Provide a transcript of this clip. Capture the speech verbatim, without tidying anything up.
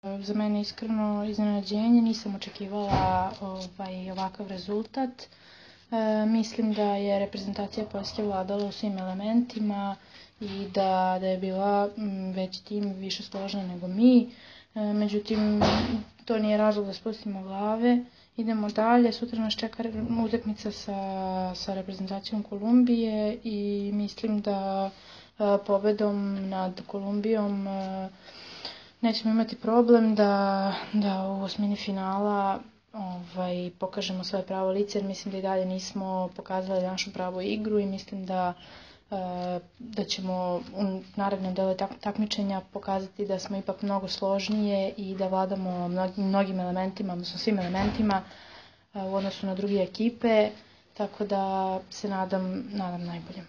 Za mene iskreno iznenađenje, nisam očekivala ovaj, ovakav rezultat. E, mislim da je reprezentacija Poljske vladala u svim elementima i da, da je bila veći tim, više složna nego mi. E, međutim, to nije razlog da spustimo glave. Idemo dalje, sutra nas čeka utakmica sa, sa reprezentacijom Kolumbije i mislim da e, pobedom nad Kolumbijom e, nećemo imati problem da, da u osmini finala ovaj, pokažemo svoje pravo lice, jer mislim da i dalje nismo pokazali našu pravu igru i mislim da, da ćemo u narednom delu takmičenja pokazati da smo ipak mnogo složnije i da vladamo mnogim, mnogim elementima, odnosno svim elementima u odnosu na druge ekipe, tako da se nadam, nadam najbolje.